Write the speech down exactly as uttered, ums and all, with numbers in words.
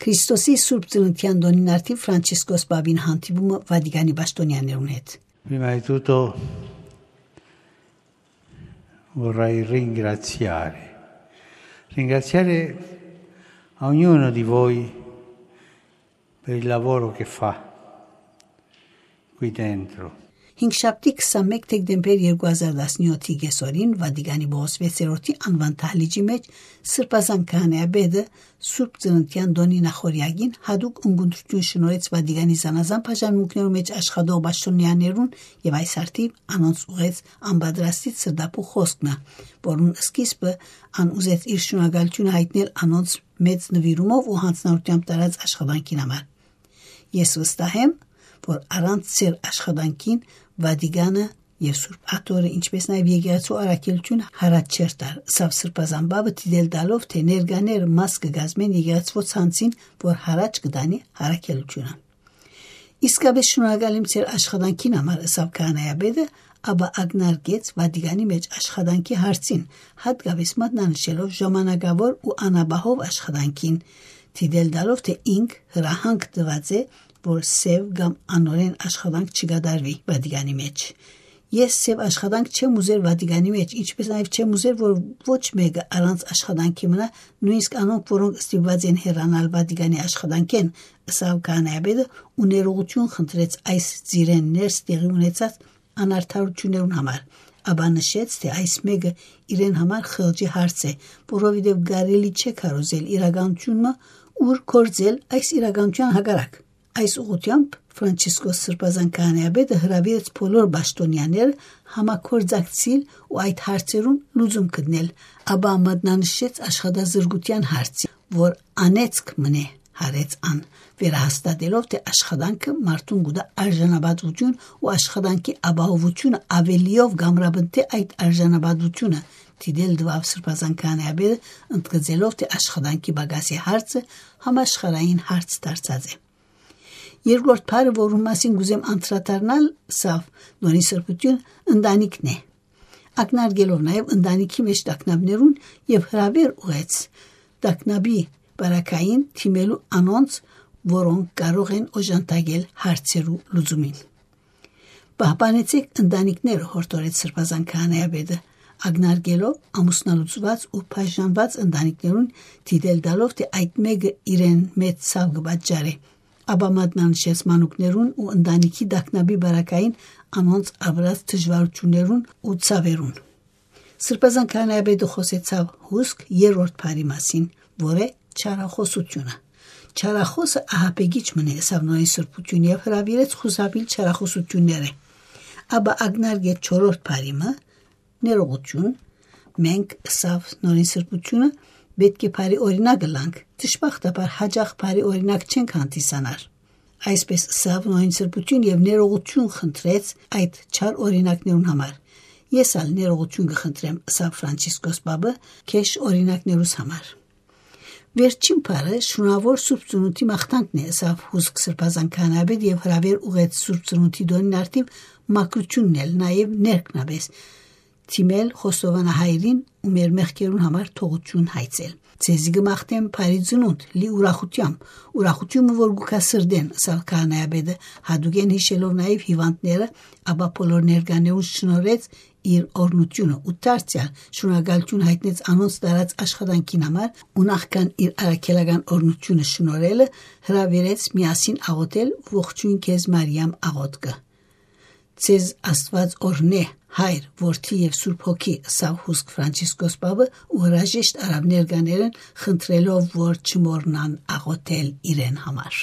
Քրիստոսի Սուրբ Ծննդեան տօնին արդի Ֆրանցիսկոս Պապին հանդիպումը Վատիկանի պաշտոնյաներուն հետ։ Prima di tutto vorrei ringraziare, ringraziare a ognuno di voi per il lavoro che fa qui dentro. Հինգշաբթի քսանմէկ դեկտեմբեր երկու հազար տասնեօթի կեսօրին Վատիկանի Պողոս վեցերորդի անուան դահլիճի մէջ Սրբազան քահանայապետը Սուրբ Ծննդեան տօնի նախօրեակին յատուկ ընկերութիւն շնորհեց Վատիկանի զանազան բաժանմունքներու մէջ աշխատող պաշտոնյաներուն եւ այս արդիւ անոնց ուղղեց անպատրաստի սրտապուխ խօսքը, որուն սկիզբը ան ուզեց իր շնորհակալութիւնը յայտնել անոնց մեծ նուիրումով ու յանձնառութեամբ տարած աշխատանքին համար։ Ես վստահ եմ, որ առանց ձեր աշխատանքին Վատիկանը եւ Սուրբ Աթոռը, ինչպէս նաեւ եկեղեցու առաքելութիւնը յառաջ չէր տար, սա Սրբազան Պապը դիտել տալով, թէ ներկաներ մաս կը կազմեն եկեղեցւոյ ցանցին, որ յառաջ կը տանի առաքելութիւնը։ «Իսկապէս շնորհակալ եմ ձեր աշխատանքին համար», ըսաւ քահանայապետը, ապա ակնարկեց Վատիկանի մէջ աշխատանքի հարցին, հատկապէս մատնանշելով ժամանակաւոր ու անապահով աշխատանքին, դիտել տալով, թէ ինք հրահանգ տուած է, որ սեւ կամ անօրէն աշխատանք չկատարուի Վատիկանի մէջ։ «Ես սեւ աշխատանք չեմ ուզեր Վատիկանի մէջ, ինչպէս նաեւ չեմ ուզեր, որ ոչ մէկը առանց աշխատանքի մնայ, նոյնիսկ անոնք, որոնք ստիպուած են հեռանալ Վատիկանի աշխատանքէն», ըսաւ քահանայապետը ու ներողութիւն խնդրեց այս ծիրէն ներս տեղի ունեցած անարդարութիւններուն համար, ապա նշեց, թէ այս մէկը իրեն համար խղճի հարց է, որովհետեւ կարելի չէ քարոզել իրականութիւն մը, ուր գործել այս իրականութեան հակառակ։ Այս ուղղութեամբ Ֆրանցիսկոս Սրբազան քահանայապետը հրաւիրեց բոլոր պաշտոնյաները համագործակցիլ ու այդ հարցերուն լուծում գտնել, ապա մատնանշեց աշխատազրկութեան հարցը, որ անեծք մնայ, յարեց ան, վերահաստատելով, թէ աշխատանքը մարդուն կու տայ արժանապատուութիւն ու աշխատանքի ապահովութիւնը աւելիով կ'ամրապնդէ այդ արժանապատուութիւնը, դիտել տուաւ Սրբազան քահանայապետը, ընդգծելով, թէ աշխատանքի պակասի հարցը համաշխարհային հարց դարձած է։ Երկրորդ բառը, որուն մասին կ'ուզեմ անդրադառնալ, սա Նորին Սրբութիւն, ընտանիքն է, ակնարկելով նաեւ ընտանիքի մէջ տագնապներուն, եւ հրաւեր ուղղեց տագնապի պարագային դիմելու անոնց, որոնք կարող են օժանդակել հարցերու լուծումին։ «Պահպանեցէք ընտանիքները», յորդորեց Սրբազան քահանայապետը, ակնարկելով ամուսնալուծուած ու բաժանուած ընտանիքներուն, դիտել տալով, թէ այդ մէկը իրեն մեծ ցաւ կը պատճառէ, ապա մատնանշեց մանուկներուն ու ընտանիքի տագնապի պարագային անոնց ապրած դժուարութիւններուն ու ցաւերուն։ Սրբազան քահանայապետը խօսեցաւ հուսք երրորդ բառի մասին, որ է չարախօսութիւնը։ «Չարախօսը ահաբեկիչ մնայ», ըսաւ Նորին Սրբութիւն եւ հրաւիրեց խուսափիլ չարախօսութիւններէ։ Ապա ակնարկեց չորրորդ բառի մը, ներողութիւն։ «Մենք», ըսաւ Նորին Սրբութիւնը, «պէտք է բարի օրինակ ըլլանք, դժբախտաբար յաճախ բարի օրինակ չենք հանդիսանար»։ Այսպէս ըսաւ Նորին Սրբութիւն եւ ներողութիւն խնդրեց այդ չար օրինակներուն համար։ «Ես ալ ներողութիւն կը խնդրեմ», ըսաւ Ֆրանցիսկոս Պապը, «քեշ օրինակներուս համար»։ «Վերջին բառը շնորհաւոր Սուրբ Ծնունդի մաղթանքն է», ըսաւ հուսք Սրբազան քահանայապետը եւ հրաւեր ուղղեց Սուրբ Ծնունդի տօնին արդիւ մաքրութիւնն էլ, նաեւ ներքնապէս, դիմել խոստովանահայրին ու մեր մեղքերուն համար թողութիւն հայցել։ «Ձեզի կը մաղթեմ բարի ծնունդ, լի ուրախութեամբ, ուրախութիւնը որ գուկա սրտեն», ըսաւ քահանայապետը, յատուկէն յիշելով նաեւ հիւանդները, ապա բոլոր ներկաներուն շնորհեց իր օրհնութիւնը ու դարձեալ շնորհակալութիւն յայտնեց անոնց տարած աշխատանքին համար ու նախքան իր առաքելական օրհնութիւնը շնորհելը, հրաւիրեց միասին աղօթել «Ողջոյն քեզ, Մարիամ» աղօթքը։ «Ձեզ Աստուած օրհնէ, Հայր, Որդի եւ Սուրբ Հոգի», ըսաւ հուսք Ֆրանցիսկոս Պապը ու հրաժեշտ առաւ ներկաներէն, խնդրելով, որ չմոռնան աղօթել իրեն համար։